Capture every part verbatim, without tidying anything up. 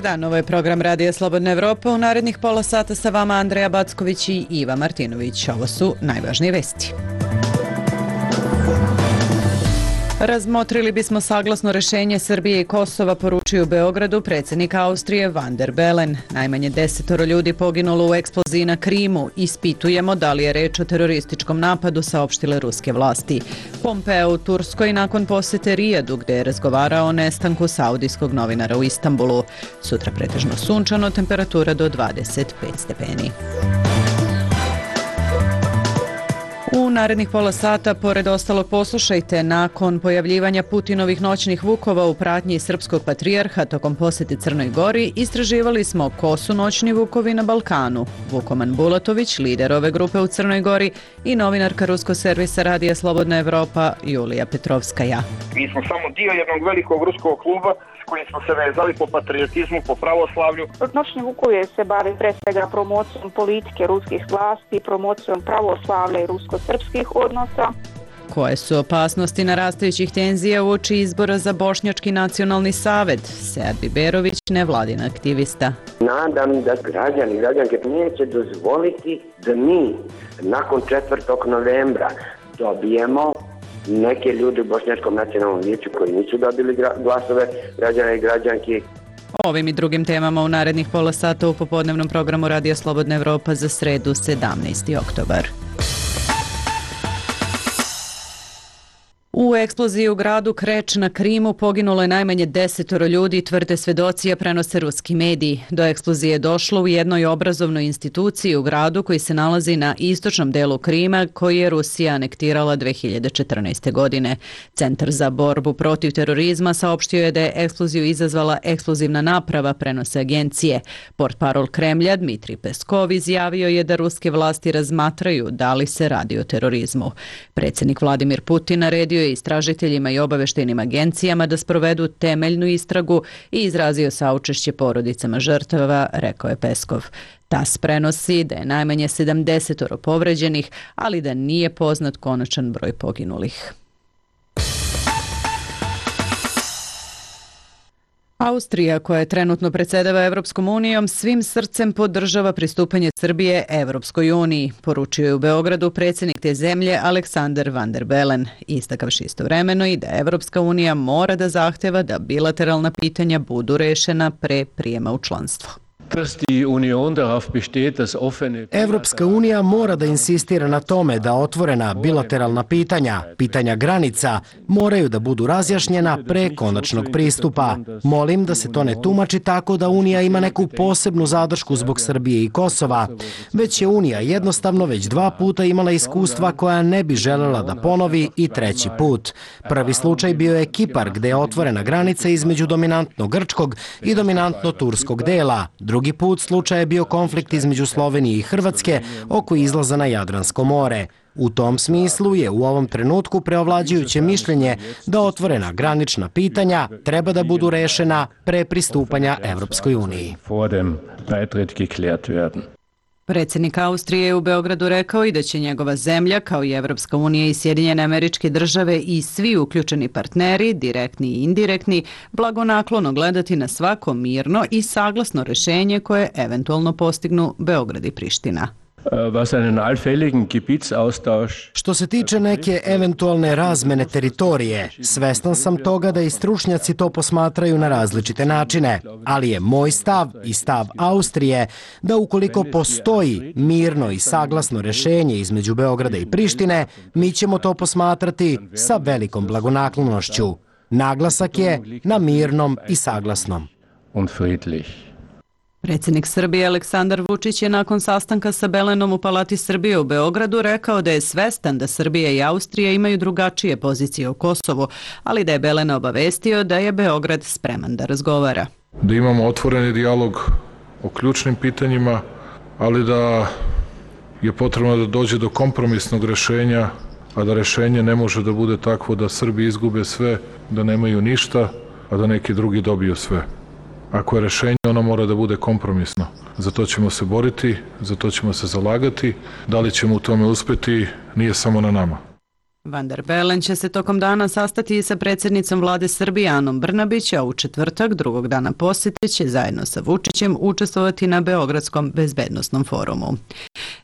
dan, ovo je program Radija Slobodna Evropa. U narednih pola sata sa vama Andreja Backović i Iva Martinović. Ovo su najvažnije vesti. Razmotrili bismo saglasno rešenje Srbije i Kosova, poručio u Beogradu predsjednik Austrije Van der Bellen. Najmanje desetoro ljudi poginulo u eksploziji na Krimu. Ispitujemo da li je reč o terorističkom napadu, saopštile ruske vlasti. Pompeo u Turskoj nakon posete Rijadu, gde je razgovarao o nestanku saudijskog novinara u Istanbulu. Sutra pretežno sunčano, temperatura do dvadeset pet stepeni. U narednih pola sata, pored ostalog, poslušajte, nakon pojavljivanja Putinovih noćnih vukova u pratnji srpskog patrijarha tokom posete Crnoj Gori, istraživali smo ko su noćni vukovi na Balkanu. Vukoman Bulatović, lider ove grupe u Crnoj Gori, i novinarka ruskog servisa Radija Slobodna Evropa Julija Petrovskaja. Mi smo samo dio jednog velikog ruskog kluba s kojim smo se vezali po patriotizmu, po pravoslavlju. Noćni vukovi se bave pre svega promocijom politike ruskih vlasti, promocijom pravoslavlja i rusko-srpskih odnosa. Koje su opasnosti narastajućih tenzija uoči izbora za Bošnjački nacionalni savet? Sead Biberović, nevladin aktivista. Nadam da građani i građanke neće dozvoliti da mi nakon četvrtog novembra dobijemo neke ljude u Bošnjačkom nacionalnom vijeću koji nisu dobili glasove građana i građanki. Ovim i drugim temama u narednih pola sata u popodnevnom programu Radija Slobodna Evropa za sredu sedamnaesti oktobar. U eksploziji u gradu Kreč na Krimu poginulo je najmanje desetoro ljudi, tvrde svedoci, a prenose ruski mediji. Do eksplozije je došlo u jednoj obrazovnoj instituciji u gradu koji se nalazi na istočnom delu Krima, koji je Rusija anektirala dve hiljade četrnaeste. godine. Centar za borbu protiv terorizma saopštio je da je eksploziju izazvala eksplozivna naprava, prenose agencije. Portparol Kremlja Dmitrij Peskov izjavio je da ruske vlasti razmatraju da li se radi o terorizmu. Predsjednik Vladimir Putin naredio je istražiteljima i obaveštajnim agencijama da sprovedu temeljnu istragu i izrazio saučešće porodicama žrtava, rekao je Peskov. TAS prenosi da je najmanje sedamdesetoro povređenih, ali da nije poznat konačan broj poginulih. Austrija, koja je trenutno predsjedava Evropskom unijom, svim srcem podržava pristupanje Srbije Evropskoj uniji, poručio je u Beogradu predsjednik te zemlje Aleksandar Van der Bellen, istakavši istovremeno i da Evropska unija mora da zahteva da bilateralna pitanja budu rešena pre prijema u članstvo. Evropska unija mora da insistira na tome da otvorena bilateralna pitanja, pitanja granica, moraju da budu razjašnjena pre konačnog pristupa. Molim da se to ne tumači tako da Unija ima neku posebnu zadršku zbog Srbije i Kosova, već je Unija jednostavno već dva puta imala iskustva koja ne bi želela da ponovi i treći put. Prvi slučaj bio je Kipar, gde je otvorena granica između dominantno grčkog i dominantno turskog dela. Drugi put slučaj je bio konflikt između Slovenije i Hrvatske oko izlaza na Jadransko more. U tom smislu je u ovom trenutku preovlađujuće mišljenje da otvorena granična pitanja treba da budu rešena pre pristupanja Evropskoj uniji. Predsjednik Austrije je u Beogradu rekao i da će njegova zemlja, kao i Evropska unija i Sjedinjene Američke Države i svi uključeni partneri, direktni i indirektni, blagonaklono gledati na svako mirno i saglasno rešenje koje eventualno postignu Beograd i Priština. Što se tiče neke eventualne razmene teritorije, svestan sam toga da i stručnjaci to posmatraju na različite načine, ali je moj stav i stav Austrije da ukoliko postoji mirno i saglasno rešenje između Beograda i Prištine, mi ćemo to posmatrati sa velikom blagonaklonošću. Naglasak je na mirnom i saglasnom. Predsjednik Srbije Aleksandar Vučić je nakon sastanka sa Bellenom u Palati Srbije u Beogradu rekao da je svestan da Srbija i Austrija imaju drugačije pozicije u Kosovu, ali da je Bellena obavestio da je Beograd spreman da razgovara. Da imamo otvoreni dijalog o ključnim pitanjima, ali da je potrebno da dođe do kompromisnog rešenja, a da rešenje ne može da bude takvo da Srbi izgube sve, da nemaju ništa, a da neki drugi dobiju sve. Ako je rešenje, ono mora da bude kompromisno. Za to ćemo se boriti, za to ćemo se zalagati. Da li ćemo u tome uspeti, nije samo na nama. Van der Bellen će se tokom dana sastati i sa predsjednicom vlade Srbije Anom Brnabić, a u četvrtak, drugog dana posjete, će zajedno sa Vučićem učestvovati na Beogradskom bezbednosnom forumu.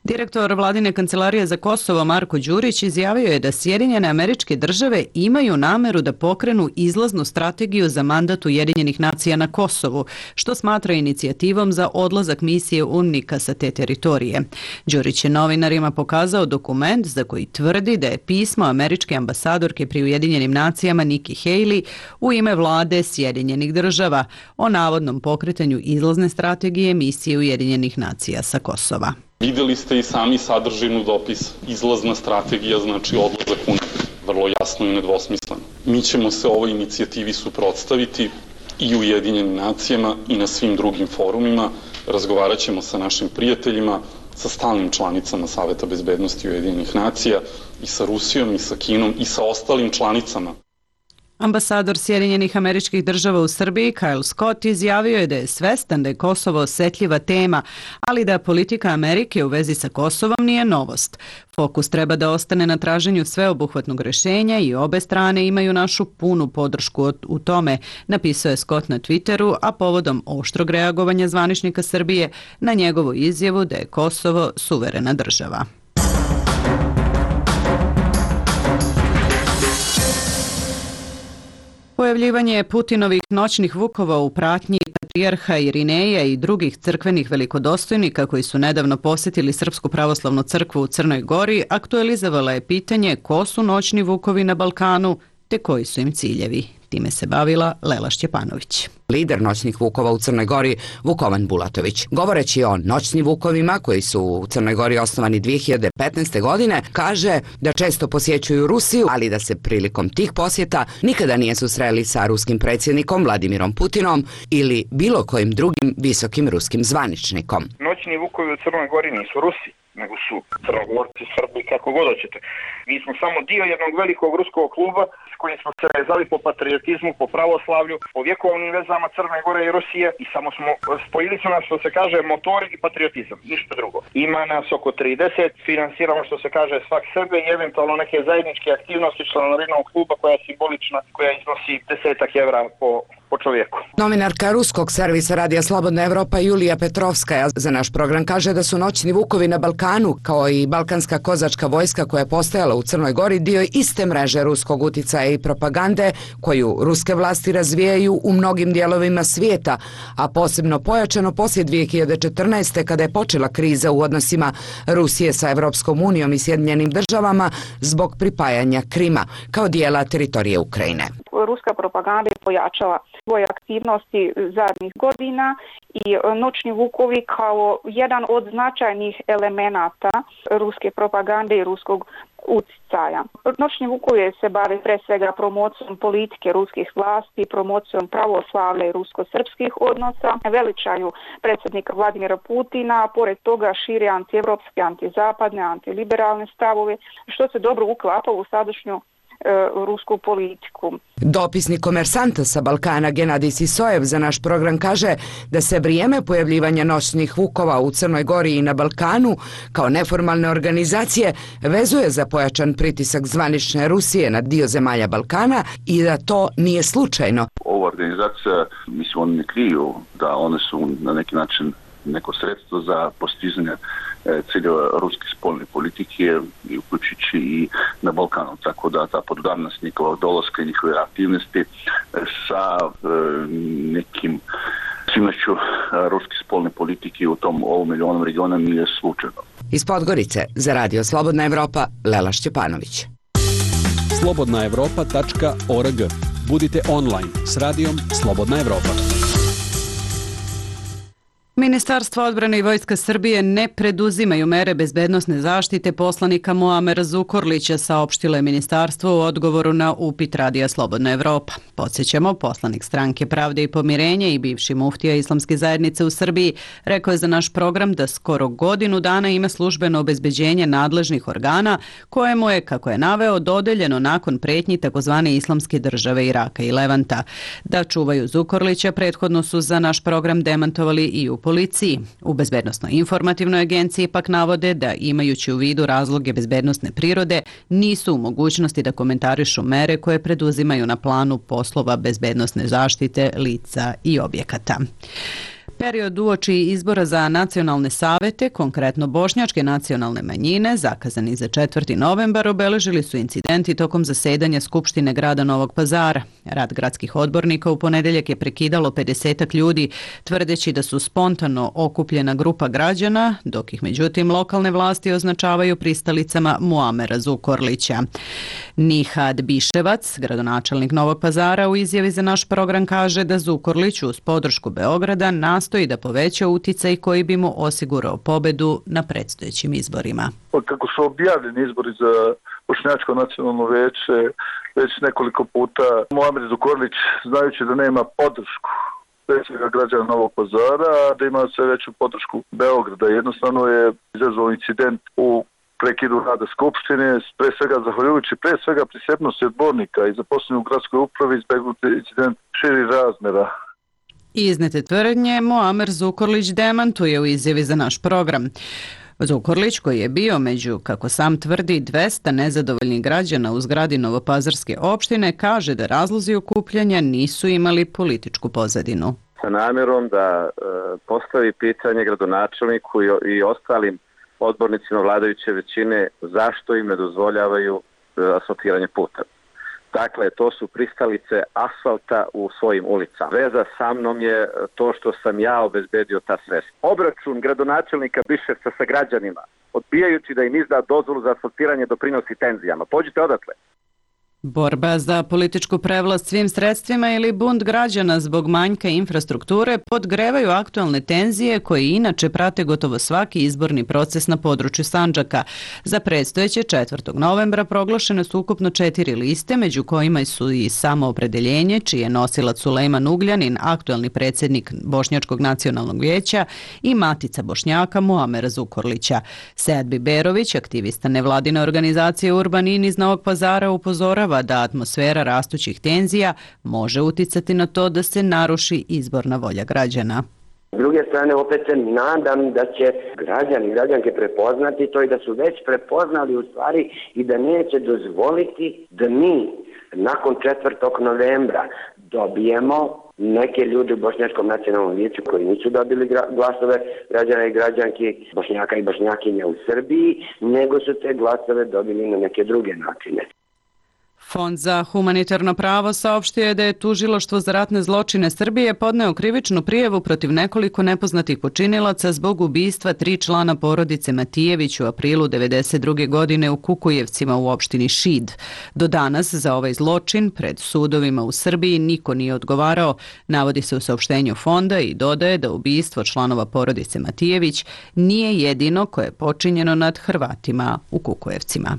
Direktor vladine kancelarije za Kosovo Marko Đurić izjavio je da Sjedinjene Američke Države imaju nameru da pokrenu izlaznu strategiju za mandat Ujedinjenih nacija na Kosovu, što smatra inicijativom za odlazak misije UNMIK-a sa te teritorije. Đurić je novinarima pokazao dokument za koji tvrdi da je pismo američke ambasadorke pri Ujedinjenim nacijama Nikki Haley u ime vlade Sjedinjenih Država o navodnom pokretanju izlazne strategije misije Ujedinjenih nacija sa Kosova. Vidjeli ste i sami sadržinu dopis. Izlazna strategija znači odlazak UNMIK. Vrlo jasno i nedvosmisleno. Mi ćemo se ovoj inicijativi suprotstaviti i u Ujedinjenim nacijama i na svim drugim forumima. Razgovarat ćemo sa našim prijateljima, sa stalnim članicama Saveta bezbednosti Ujedinjenih nacija i sa Rusijom i sa Kinom i sa ostalim članicama. Ambasador Sjedinjenih Američkih Država u Srbiji Kyle Scott izjavio je da je svestan da je Kosovo osjetljiva tema, ali da politika Amerike u vezi sa Kosovom nije novost. Fokus treba da ostane na traženju sveobuhvatnog rješenja i obe strane imaju našu punu podršku u tome, napisao je Scott na Twitteru, a povodom oštrog reagovanja zvaničnika Srbije na njegovu izjavu da je Kosovo suverena država. Pojavljivanje Putinovih noćnih vukova u pratnji patrijarha Irineja i drugih crkvenih velikodostojnika koji su nedavno posjetili Srpsku pravoslavnu crkvu u Crnoj Gori aktualizovala je pitanje ko su noćni vukovi na Balkanu te koji su im ciljevi. Time se bavila Lela Šćepanović. Lider noćnih vukova u Crnoj Gori, Vukovan Bulatović. Govoreći o noćnim vukovima koji su u Crnoj Gori osnovani dvije hiljade petnaeste. godine, kaže da često posjećuju Rusiju, ali da se prilikom tih posjeta nikada nije susreli sa ruskim predsjednikom Vladimirom Putinom ili bilo kojim drugim visokim ruskim zvaničnikom. Noćni vukovi u Crnoj Gori nisu Rusi, nego su Crnogorci, Srbi, kako god hoćete. Mi smo samo dio jednog velikog ruskog kluba s kojim smo se vezali po patriotizmu, po pravoslavlju, po vjekovnim vezama Crne Gore i Rusije i samo smo spojili su nas, što se kaže, motor i patriotizam, ništa drugo. Ima nas oko trideset, finansiramo, što se kaže, svak sebe i eventualno neke zajedničke aktivnosti članarinog kluba koja je simbolična, koja iznosi desetak evra po po čovjeku. Novinarka ruskog servisa Radija Slobodna Evropa Julija Petrovskaja za naš program kaže da su noćni vukovi na Balkanu, kao i balkanska kozačka vojska koja je postojala u Crnoj Gori, dio iste mreže ruskog uticaja i propagande koju ruske vlasti razvijaju u mnogim dijelovima svijeta, a posebno pojačano poslije dvije hiljade četrnaeste. kada je počela kriza u odnosima Rusije sa Evropskom unijom i Sjedinjenim državama zbog pripajanja Krima kao dijela teritorije Ukrajine. Ruska propaganda je pojačala svoje aktivnosti zadnjih godina i noćni vukovi kao jedan od značajnih elemenata ruske propagande i ruskog uticaja. Noćni vukovi se bave pre svega promocijom politike ruskih vlasti, promocijom pravoslavlja i rusko-srpskih odnosa, veličaju predsjednika Vladimira Putina, a pored toga šire antievropske, antizapadne, antiliberalne stavove, što se dobro uklapa u sadašnju rusku politiku. Dopisnik Komersanta sa Balkana Genadij Sisojev za naš program kaže da se vrijeme pojavljivanja noćnih vukova u Crnoj Gori i na Balkanu kao neformalne organizacije vezuje za pojačan pritisak zvanične Rusije na dio zemalja Balkana i da to nije slučajno. Ova organizacija, mislim, oni ne kriju da one su na neki način neko sredstvo za postizanje ciljeva ruske spoljne politike, uključujući i na Balkanu. Tako da ta podudarnost njihovog dolaska i njihove aktivnosti sa nekim svimošću ruske spoljne politike u tom ovom ili onom regionu nije slučajno. Iz Podgorice za Radio Slobodna Evropa, Lela Šćepanović. slobodna evropa tačka org. Budite online s radijom Slobodna Evropa. Ministarstvo odbrane i Vojska Srbije ne preduzimaju mere bezbednosne zaštite poslanika Muamera Zukorlića, saopštilo je ministarstvo u odgovoru na upit Radija Slobodna Evropa. Podsjećamo, poslanik Stranke Pravde i pomirenje i bivši muftija Islamske zajednice u Srbiji rekao je za naš program da skoro godinu dana ima službeno obezbeđenje nadležnih organa kojemu je, kako je naveo, dodeljeno nakon pretnji takozvane Islamske države Iraka i Levanta. Da čuvaju Zukorlića prethodno su za naš program demantovali i u policiji. U Bezbednosno-informativnoj agenciji pak navode da, imajući u vidu razloge bezbednosne prirode, nisu u mogućnosti da komentarišu mere koje preduzimaju na planu poslova bezbednosne zaštite lica i objekata. Period uoči izbora za nacionalne savete, konkretno bošnjačke nacionalne manjine, zakazani za četvrti novembar, obeležili su incidenti tokom zasedanja Skupštine grada Novog Pazara. Rad gradskih odbornika u ponedeljak je prekidalo pedesetak ljudi, tvrdeći da su spontano okupljena grupa građana, dok ih međutim lokalne vlasti označavaju pristalicama Muamera Zukorlića. Nihad Biševac, gradonačelnik Novog Pazara, u izjavi za naš program kaže da Zukorlić uz podršku Beograda nastoji da poveća uticaj koji bi mu osigurao pobedu na predstojećim izborima. Kako su objavljeni izbori za Bošnjačko nacionalno veće već nekoliko puta, Muamer Zukorlić, znajući da nema podršku pre svega građana Novog Pazara, da ima sve veću podršku Beograda, jednostavno je izazvao incident u prekidu rada Skupštine, pre svega zahvaljujući pre svega prisebnosti odbornika i zaposlenih u gradskoj upravi, izbegnuti incident širi razmera. Iznete tvrdnje Muamer Zukorlić demantuje u izjavi za naš program. Zukorlić, koji je bio među, kako sam tvrdi, dvesta nezadovoljnih građana u zgradi Novopazarske opštine, kaže da razlozi okupljanja nisu imali političku pozadinu. Sa namjerom da e, postavi pitanje gradonačelniku i, i ostalim odbornicima vladajuće većine zašto im ne dozvoljavaju e, asfaltiranje puta. Dakle, to su pristalice asfalta u svojim ulicama. Veza sa mnom je to što sam ja obezbedio ta sredstva. Obračun gradonačelnika Biševca sa građanima, odbijajući da im izda dozvolu za asfaltiranje, doprinosi tenzijama. Pođite odatle. Borba za političku prevlast svim sredstvima ili bunt građana zbog manjka infrastrukture podgrevaju aktualne tenzije koje inače prate gotovo svaki izborni proces na području Sandžaka. Za predstojeće četvrtog novembra proglašene su ukupno četiri liste, među kojima su i Samoopredeljenje, čiji je nosilac Sulejman Ugljanin, aktualni predsjednik Bošnjačkog nacionalnog vijeća, i Matica Bošnjaka Muamera Zukorlića. Sead Biberović, aktivista nevladine organizacije Urbanin iz Novog Pazara, upozorava da atmosfera rastućih tenzija može uticati na to da se naruši izborna volja građana. S druge strane, opet se nadam da će građani i građanke prepoznati to i da su već prepoznali u stvari i da neće dozvoliti da mi nakon četvrtog novembra dobijemo neke ljude u Bošnjačkom nacionalnom vijeću koji nisu dobili glasove građana i građanki, Bošnjaka i Bošnjakinja u Srbiji, nego su te glasove dobili na neke druge načine. Fond za humanitarno pravo saopštio je da je Tužilaštvo za ratne zločine Srbije podneo krivičnu prijavu protiv nekoliko nepoznatih počinilaca zbog ubistva tri člana porodice Matijević u aprilu devedeset druge godine u Kukujevcima u opštini Šid. Do danas za ovaj zločin pred sudovima u Srbiji niko nije odgovarao, navodi se u saopštenju fonda, i dodaje da ubistvo članova porodice Matijević nije jedino koje je počinjeno nad Hrvatima u Kukujevcima.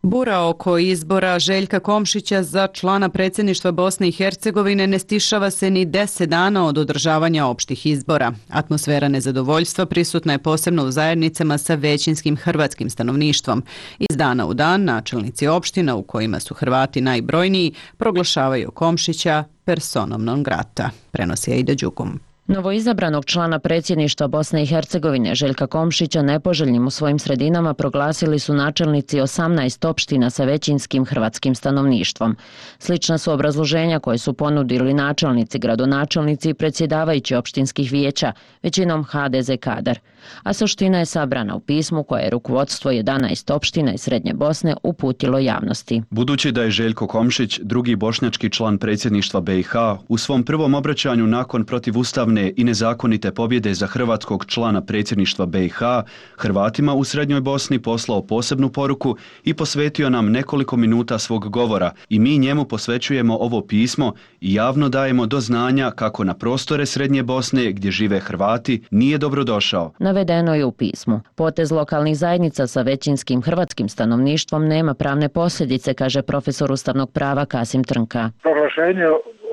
Bura oko izbora Željka Komšića za člana predsjedništva Bosne i Hercegovine ne stišava se ni deset dana od održavanja opštih izbora. Atmosfera nezadovoljstva prisutna je posebno u zajednicama sa većinskim hrvatskim stanovništvom. Iz dana u dan načelnici opština u kojima su Hrvati najbrojniji proglašavaju Komšića personom non grata, prenosi Aida Đugum. Novoizabranog člana predsjedništva Bosne i Hercegovine Željka Komšića nepoželjnim u svojim sredinama proglasili su načelnici osamnaest opština sa većinskim hrvatskim stanovništvom. Slična su obrazloženja koje su ponudili načelnici, gradonačelnici i predsjedavajući opštinskih vijeća, većinom ha de ze kadar. A suština je sabrana u pismu koje je rukovodstvo jedanaest opština iz Srednje Bosne uputilo javnosti. Budući da je Željko Komšić, drugi bošnjački član predsjedništva be i ha, u svom prvom obraćanju nakon protivustavne i nezakonite pobjede za hrvatskog člana predsjedništva be i ha, Hrvatima u Srednjoj Bosni poslao posebnu poruku i posvetio nam nekoliko minuta svog govora, i mi njemu posvećujemo ovo pismo i javno dajemo do znanja kako na prostore Srednje Bosne gdje žive Hrvati nije dobrodošao. Navedeno je u pismu. Potez lokalnih zajednica sa većinskim hrvatskim stanovništvom nema pravne posljedice, kaže profesor ustavnog prava Kasim Trnka. Proglašenje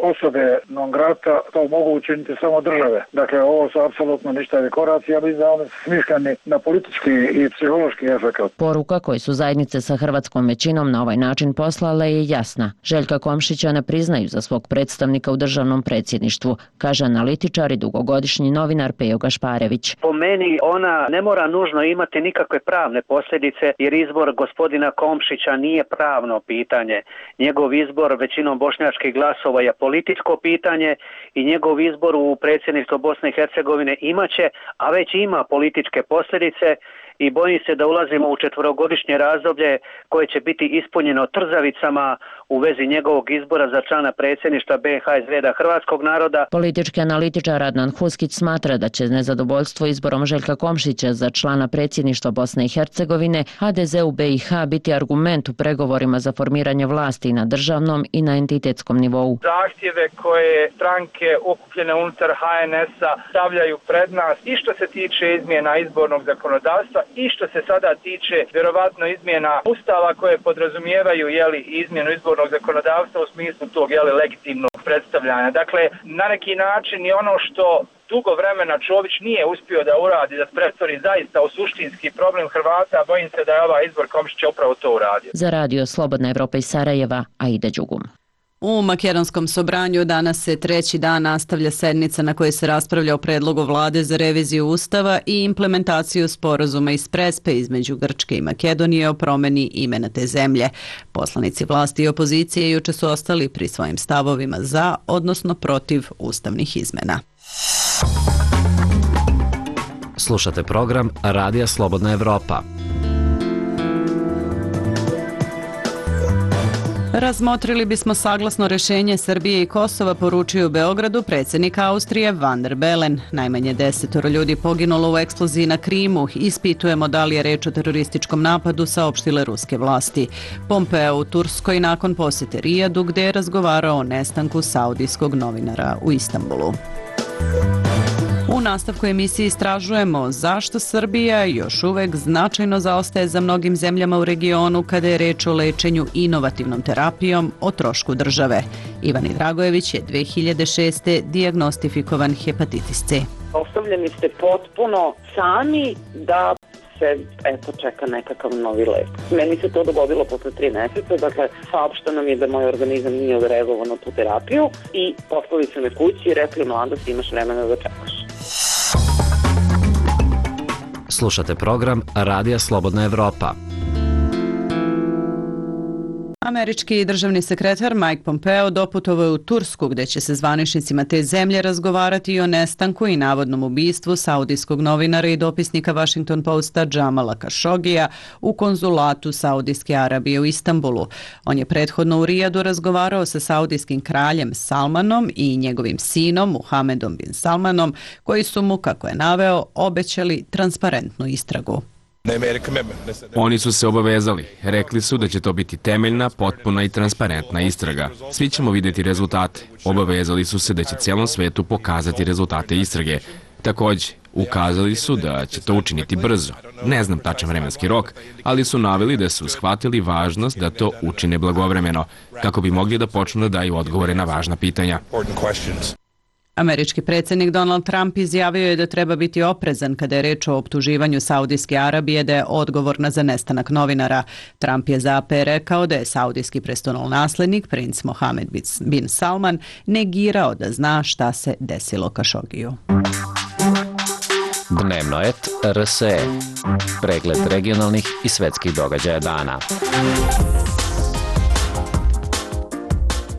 osobe non grata, to mogu učiniti samo države. Dakle, ovo su apsolutno ništavi koraci, ja bih da oni smišljani na politički i psihološki efekt. Poruka koju su zajednice sa hrvatskom većinom na ovaj način poslale je jasna. Željka Komšića ne priznaju za svog predstavnika u državnom predsjedništvu, kaže analitičar i dugogodišnji novinar Pejo Gašparević. Po meni ona ne mora nužno imati nikakve pravne posljedice, jer izbor gospodina Komšića nije pravno pitanje. Njegov izbor većinom bošnjačkih glasova je političko pitanje i njegov izbor u predsjedništvo Bosne i Hercegovine imaće, a već ima političke posljedice i bojim se da ulazimo u četvorogodišnje razdoblje koje će biti ispunjeno trzavicama u vezi njegovog izbora za člana predsjedništva B i H iz reda hrvatskog naroda. Politički analitičar Adnan Huskić smatra da će nezadovoljstvo izborom Željka Komšića za člana predsjedništva Bosne i Hercegovine H D Z u B i H biti argument u pregovorima za formiranje vlasti na državnom i na entitetskom nivou. Zahtjeve koje stranke okupljene unutar H N S-a stavljaju pred nas i što se tiče izmjena izbornog zakonodavstva i što se sada tiče vjerovatno izmjena ustava koje podrazumijevaju jeli, izmjenu izbornog zakonodavstva u smislu tog jeli, legitimnog predstavljanja. Dakle, na neki način je ono što dugo vremena Čović nije uspio da uradi, da pretvori zaista u suštinski problem Hrvata, bojim se da je ovaj izbor Komšića upravo to uradio. Za radio Slobodna Evropa iz Sarajeva, Aida Đugum. U makedonskom Sobranju danas se treći dan nastavlja sednica na kojoj se raspravlja o predlogu vlade za reviziju ustava i implementaciju sporazuma iz Prespe između Grčke i Makedonije o promeni imena te zemlje. Poslanici vlasti i opozicije juče su ostali pri svojim stavovima za, odnosno protiv ustavnih izmena. Slušate program Radija Slobodna Evropa. Razmotrili bismo saglasno rješenje Srbije i Kosova, poručio u Beogradu predsjednik Austrije Van der Bellen. Najmanje desetoro ljudi poginulo u eksploziji na Krimu. Ispitujemo da li je reč o terorističkom napadu, saopštile ruske vlasti. Pompeo u Turskoj nakon posjete Rijadu, gdje je razgovarao o nestanku saudijskog novinara u Istanbulu. U nastavku emisije istražujemo zašto Srbija još uvek značajno zaostaje za mnogim zemljama u regionu kada je reč o lečenju inovativnom terapijom o trošku države. Ivani Dragojević je dve hiljade šeste dijagnostifikovan hepatitis C. Ostavljeni ste potpuno sami da se eto čeka nekakav novi lek. Meni se to dogodilo posle tri meseca, dakle saopšteno mi je da moj organizam nije odreagovao na tu terapiju i poslali su me kući i rekli mladost imaš vremena da čekaš. Slušate program Radija Slobodna Evropa. Američki državni sekretar Mike Pompeo doputovao je u Tursku, gdje će se zvaničnicima te zemlje razgovarati i o nestanku i navodnom ubistvu saudijskog novinara i dopisnika Washington Posta Jamala Khashogija u konzulatu Saudijske Arabije u Istanbulu. On je prethodno u Rijadu razgovarao sa saudijskim kraljem Salmanom i njegovim sinom Muhamedom bin Salmanom, koji su mu, kako je naveo, obećali transparentnu istragu. Oni su se obavezali. Rekli su da će to biti temeljna, potpuna i transparentna istraga. Svi ćemo vidjeti rezultate. Obavezali su se da će cijelom svetu pokazati rezultate istrage. Također, ukazali su da će to učiniti brzo. Ne znam tačan vremenski rok, ali su naveli da su shvatili važnost da to učine blagovremeno, kako bi mogli da počnu da daju odgovore na važna pitanja. Američki predsjednik Donald Trump izjavio je da treba biti oprezan kada je reč o optuživanju Saudijske Arabije da je odgovorna za nestanak novinara. Trump je za A P rekao da je saudijski prestolonaslednik, princ Mohammed bin Salman, negirao da zna šta se desilo Khashogiju. Dnevno et R S E. Pregled regionalnih i svetskih događaja dana.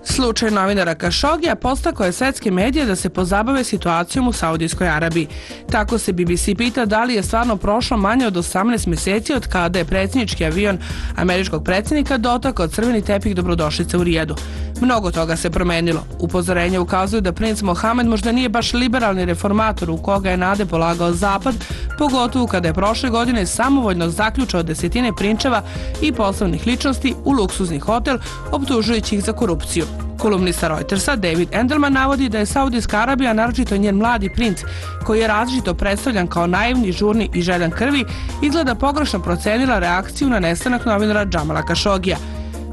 Slučaj novinara Khashogija postakao je svetske medije da se pozabave situacijom u Saudijskoj Arabiji. Tako se B B C pita da li je stvarno prošlo manje od osamnaest mjeseci od kada je predsjednički avion američkog predsjednika dotakao crveni tepih dobrodošlice u Rijadu. Mnogo toga se promenilo. Upozorenja ukazuju da princ Mohamed možda nije baš liberalni reformator u koga je nade polagao Zapad, pogotovo kada je prošle godine samovoljno zaključao desetine prinčeva i poslovnih ličnosti u luksuzni hotel, optužujući ih za korupciju. Kolumnista Reutersa David Endelman navodi da je Saudijska Arabija, naročito njen mladi princ, koji je različito predstavljan kao naivni, žurni i željan krvi, izgleda pogrešno procenila reakciju na nestanak novinara Jamala Khashogija.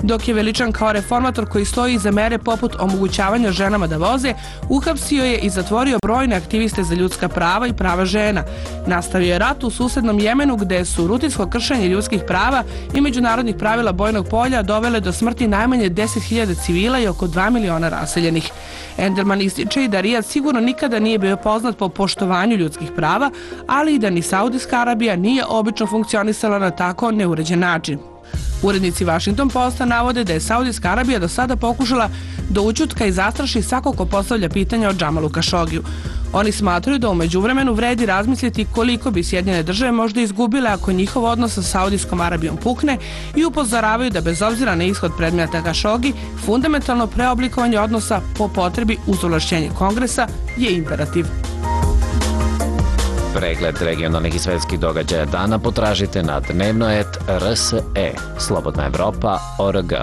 Dok je veličan kao reformator koji stoji iza mere poput omogućavanja ženama da voze, uhapsio je i zatvorio brojne aktiviste za ljudska prava i prava žena. Nastavio je rat u susednom Jemenu gde su rutinsko kršenje ljudskih prava i međunarodnih pravila bojnog polja dovele do smrti najmanje deset hiljada civila i oko dva miliona raseljenih. Enderman ističe i da Rijad sigurno nikada nije bio poznat po poštovanju ljudskih prava, ali i da ni Saudijska Arabija nije obično funkcionisala na tako neuređen način. Urednici Washington Posta navode da je Saudijska Arabija do sada pokušala da ućutka i zastraši svakog ko postavlja pitanja o Džamalu Kašogiju. Oni smatraju da u međuvremenu vredi razmisliti koliko bi Sjedinjene države možda izgubile ako njihov odnos sa Saudijskom Arabijom pukne i upozoravaju da bez obzira na ishod predmeta Kašogi, fundamentalno preoblikovanje odnosa po potrebi uz ovlašćenje Kongresa je imperativ. Pregled regionalnih i svetskih događaja dana potražite na dnevnoet R S E, Slobodna Evropa, O R G.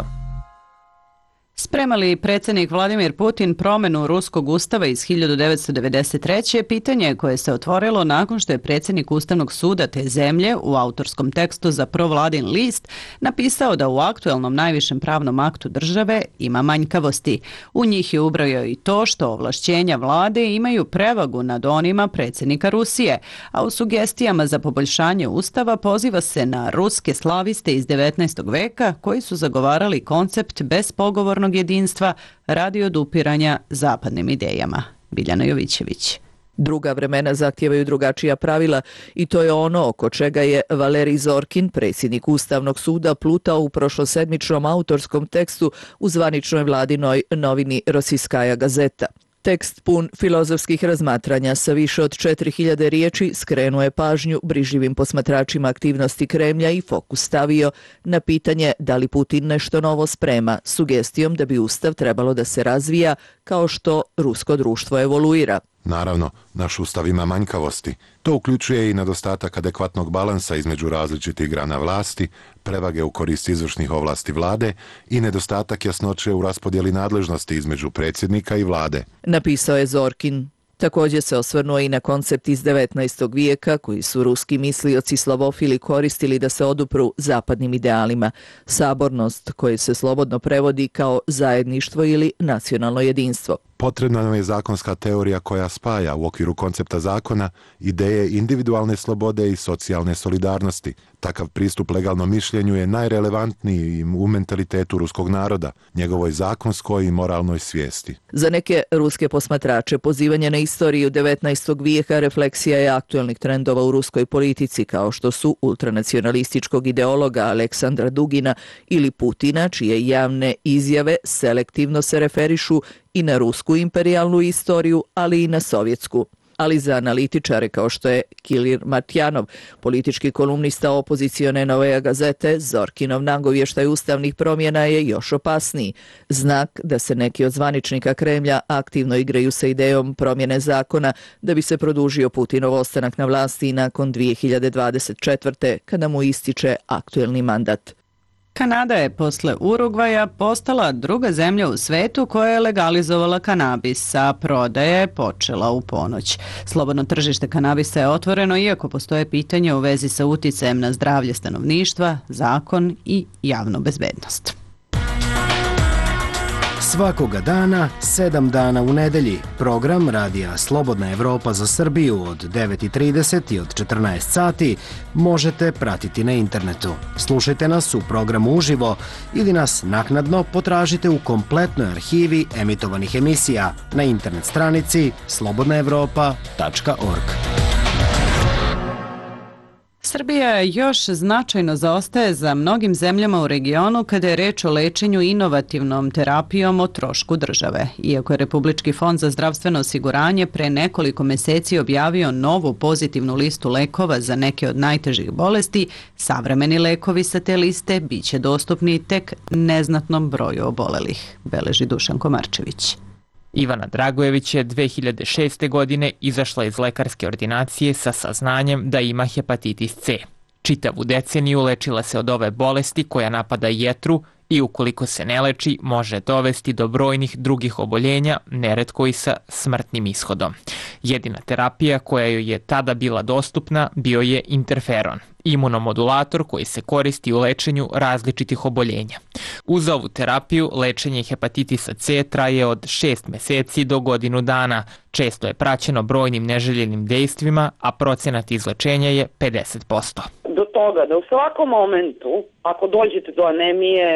Sprema li predsjednik Vladimir Putin promjenu ruskog ustava iz hiljadu devetsto devedeset treće pitanje koje se otvorilo nakon što je predsjednik Ustavnog suda te zemlje u autorskom tekstu za provladin list napisao da u aktuelnom najvišem pravnom aktu države ima manjkavosti. U njih je ubrojio i to što ovlašćenja vlade imaju prevagu nad onima predsjednika Rusije, a u sugestijama za poboljšanje ustava poziva se na ruske slaviste iz devetnaestog veka koji su zagovarali koncept bespogovornog jedinstva radi odupiranja zapadnim idejama. Biljana Jovićević. Druga vremena zahtijevaju drugačija pravila i to je ono oko čega je Valerij Zorkin, predsjednik Ustavnog suda, plutao u prošlosedmičnom autorskom tekstu u zvaničnoj vladinoj novini Rosiskaja gazeta. Tekst pun filozofskih razmatranja sa više od četiri hiljade riječi skrenuo je pažnju brižljivim posmatračima aktivnosti Kremlja i fokus stavio na pitanje da li Putin nešto novo sprema, sugestijom da bi Ustav trebalo da se razvija kao što rusko društvo evoluira. Naravno, naš ustav ima manjkavosti. To uključuje i nedostatak adekvatnog balansa između različitih grana vlasti, prevage u korist izvršnih ovlasti vlade i nedostatak jasnoće u raspodjeli nadležnosti između predsjednika i vlade. Napisao je Zorkin. Također se osvrnuo i na koncept iz devetnaestog vijeka koji su ruski mislioci slavofili koristili da se odupru zapadnim idealima. Sabornost, koje se slobodno prevodi kao zajedništvo ili nacionalno jedinstvo. Potrebna nam je zakonska teorija koja spaja u okviru koncepta zakona ideje individualne slobode i socijalne solidarnosti. Takav pristup legalnom mišljenju je najrelevantniji u mentalitetu ruskog naroda, njegovoj zakonskoj i moralnoj svijesti. Za neke ruske posmatrače pozivanje na istoriju devetnaestog vijeka refleksija je aktuelnih trendova u ruskoj politici kao što su ultranacionalističkog ideologa Aleksandra Dugina ili Putina, čije javne izjave selektivno se referišu i na rusku imperijalnu istoriju, ali i na sovjetsku. Ali za analitičare kao što je Kilir Martjanov, politički kolumnista opozicione Nove gazete, Zorkinov nagovještaj ustavnih promjena je još opasniji. Znak da se neki od zvaničnika Kremlja aktivno igraju sa idejom promjene zakona da bi se produžio Putinov ostanak na vlasti nakon dvije hiljade dvadeset četvrte. kada mu ističe aktuelni mandat. Kanada je posle Urugvaja postala druga zemlja u svetu koja je legalizovala kanabis, a prodaja je počela u ponoć. Slobodno tržište kanabisa je otvoreno iako postoje pitanja u vezi sa uticajem na zdravlje stanovništva, zakon i javnu bezbednost. Svakoga dana, sedam dana u nedelji, program radija Slobodna Evropa za Srbiju od devet i trideset i od četrnaest sati možete pratiti na internetu. Slušajte nas u programu uživo ili nas naknadno potražite u kompletnoj arhivi emitovanih emisija na internet stranici slobodna evropa tačka org. Srbija još značajno zaostaje za mnogim zemljama u regionu kada je reč o lečenju inovativnom terapijom o trošku države. Iako je Republički fond za zdravstveno osiguranje pre nekoliko meseci objavio novu pozitivnu listu lekova za neke od najtežih bolesti, savremeni lekovi sa te liste biće dostupni tek neznatnom broju obolelih, beleži Dušan Komarčević. Ivana Dragojević je dve hiljade šeste. godine izašla iz lekarske ordinacije sa saznanjem da ima hepatitis C. Čitavu deceniju lečila se od ove bolesti koja napada jetru i ukoliko se ne leči može dovesti do brojnih drugih oboljenja, neretko i sa smrtnim ishodom. Jedina terapija koja joj je tada bila dostupna bio je interferon, imunomodulator koji se koristi u lečenju različitih oboljenja. Uz ovu terapiju, lečenje hepatitisa C traje od šest meseci do godinu dana. Često je praćeno brojnim neželjenim dejstvima, a procenat izlečenja je pedeset posto. Do toga da u svakom momentu, ako dođete do anemije,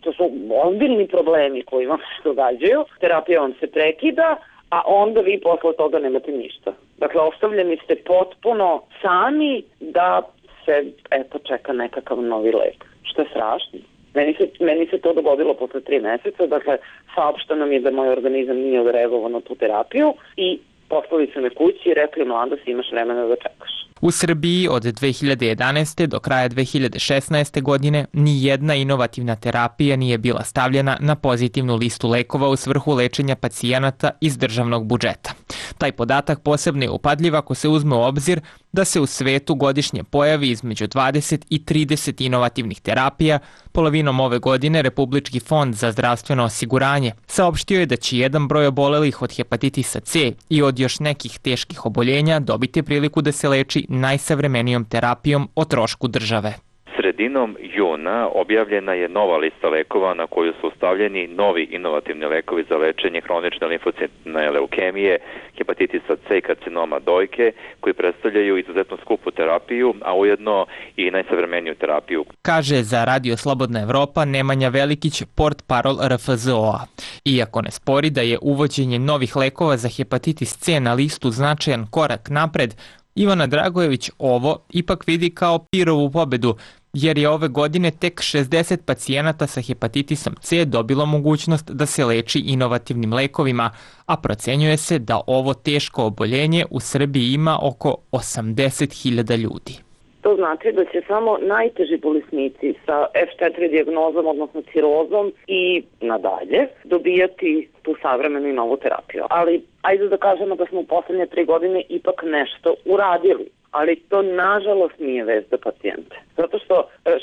to su ozbiljni problemi koji vam se događaju, terapija vam se prekida, a onda vi posle toga nemate ništa. Dakle, ostavljeni ste potpuno sami da se, eto, čeka nekakav novi lek, što je strašno. Meni se, meni se to dogodilo posle tri meseca, dakle, saopšteno mi je da moj organizam nije odreagovao na tu terapiju i poslali su me kući i rekli, mlada, si imaš vremena da čekaš. U Srbiji od dve hiljade jedanaeste. do kraja dve hiljade šesnaeste. godine ni jedna inovativna terapija nije bila stavljena na pozitivnu listu lekova u svrhu lečenja pacijenata iz državnog budžeta. Taj podatak posebno je upadljiv ako se uzme u obzir da se u svetu godišnje pojavi između dvadeset i trideset inovativnih terapija. Polovinom ove godine Republički fond za zdravstveno osiguranje saopštio je da će jedan broj obolelih od hepatitisa C i od još nekih teških oboljenja dobiti priliku da se leči najsavremenijom terapijom o trošku države. Sredinom juna objavljena je nova lista lekova na koju su stavljeni novi inovativni lekovi za lečenje hronične limfocitne leukemije, hepatitisa C i karcinoma dojke, koji predstavljaju izuzetno skupu terapiju, a ujedno i najsavremeniju terapiju. Kaže za Radio Slobodna Evropa Nemanja Velikić, portparol R F Z O A. Iako ne spori da je uvođenje novih lekova za hepatitis C na listu značajan korak napred, Ivana Dragojević ovo ipak vidi kao pirovu pobedu, jer je ove godine tek šezdeset pacijenata sa hepatitisom C dobilo mogućnost da se leči inovativnim lekovima, a procenjuje se da ovo teško oboljenje u Srbiji ima oko osamdeset hiljada ljudi. To znači da će samo najteži bolesnici sa F četiri dijagnozom, odnosno cirozom i nadalje, dobijati tu savremenu i novu terapiju. Ali ajde da kažemo da smo u poslednje tri godine ipak nešto uradili. Ali to nažalost nije vest za pacijente. Zato što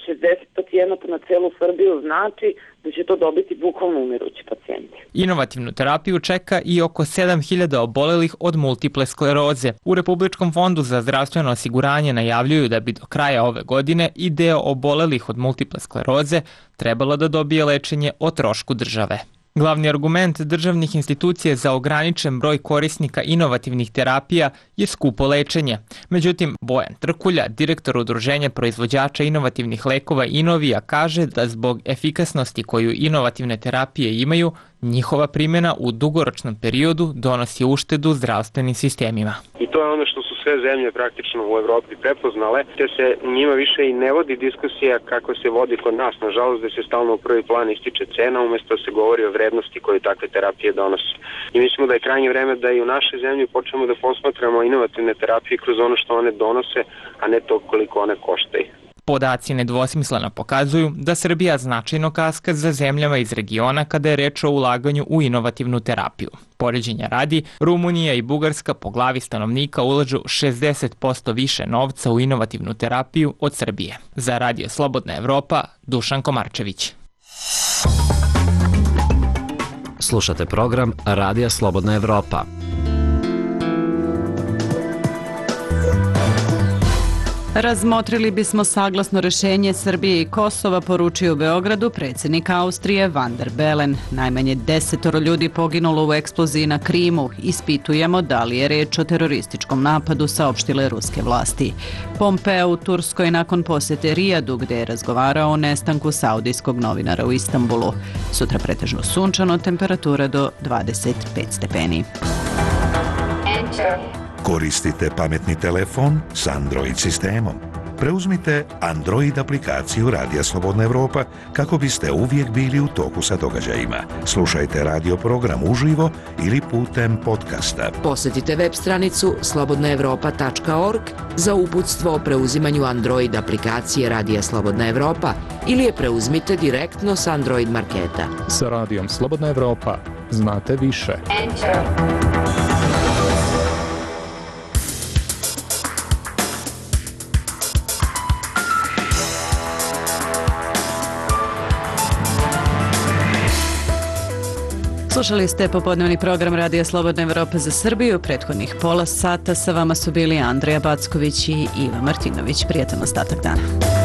šezdeset pacijenata na celu Srbiju znači da će to dobiti bukvalno umirući pacijenti. Inovativnu terapiju čeka i oko sedam hiljada obolelih od multiple skleroze. U Republičkom fondu za zdravstveno osiguranje najavljuju da bi do kraja ove godine i deo obolelih od multiple skleroze trebalo da dobije lečenje o trošku države. Glavni argument državnih institucija za ograničen broj korisnika inovativnih terapija je skupo lečenje. Međutim, Bojan Trkulja, direktor Udruženja proizvođača inovativnih lekova Inovija, kaže da zbog efikasnosti koju inovativne terapije imaju, njihova primjena u dugoročnom periodu donosi uštedu zdravstvenim sistemima. I to je ono što su sve zemlje praktično u Evropi prepoznale, te se njima više i ne vodi diskusija kako se vodi kod nas. Nažalost, da se stalno u prvi plan ističe cena, umjesto da se govori o vrednosti koju takve terapije donose. I mislimo da je krajnje vreme da i u našoj zemlji počnemo da posmatramo inovativne terapije kroz ono što one donose, a ne to koliko one koštaju. Podaci nedvosmisleno pokazuju da Srbija značajno kaska za zemljama iz regiona kada je reč o ulaganju u inovativnu terapiju. Poređenja radi, Rumunija i Bugarska po glavi stanovnika ulažu šezdeset posto više novca u inovativnu terapiju od Srbije. Za Radio Slobodna Evropa, Dušan Komarčević. Slušate program Radija Slobodna Evropa. Razmotrili bismo saglasno rešenje Srbije i Kosova, poručio u Beogradu predsjednik Austrije Van der Bellen. Najmanje desetoro ljudi poginulo u eksploziji na Krimu. Ispitujemo da li je reč o terorističkom napadu, saopštile ruske vlasti. Pompeo u Turskoj nakon posete Rijadu, gde je razgovarao o nestanku saudijskog novinara u Istanbulu. Sutra pretežno sunčano, temperatura do dvadeset pet stepeni. Koristite pametni telefon s Android sistemom. Preuzmite Android aplikaciju Radija Slobodna Evropa kako biste uvijek bili u toku sa događajima. Slušajte radio program uživo ili putem podcasta. Posjetite web stranicu slobodna evropa tačka org za uputstvo o preuzimanju Android aplikacije Radija Slobodna Evropa ili je preuzmite direktno s Android marketa. Sa Radijom Slobodna Evropa znate više. Enter. Slušali ste popodnevni program Radija Slobodna Evropa za Srbiju. Prethodnih pola sata sa vama su bili Andreja Backović i Iva Martinović. Prijetan ostatak dana.